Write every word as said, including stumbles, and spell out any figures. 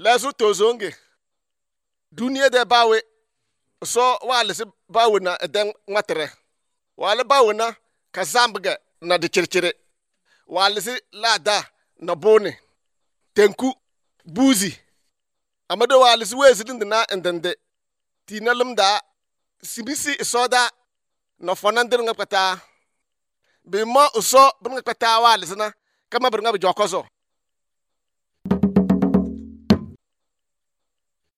Lɛso tozonge duniya de bawe so waalisi bawe na ɛdɛ ŋmatere waali bawe na ka zambge na di circire waalisi laada na boone tenku buuzi amado waalisi weezi dindi na ndende tina limda sibisi isoda na fɔna dir ŋa kpataa bi mo uso bir ŋa kpataa waalisi na kama bir ŋa bi jɔkɔ zo.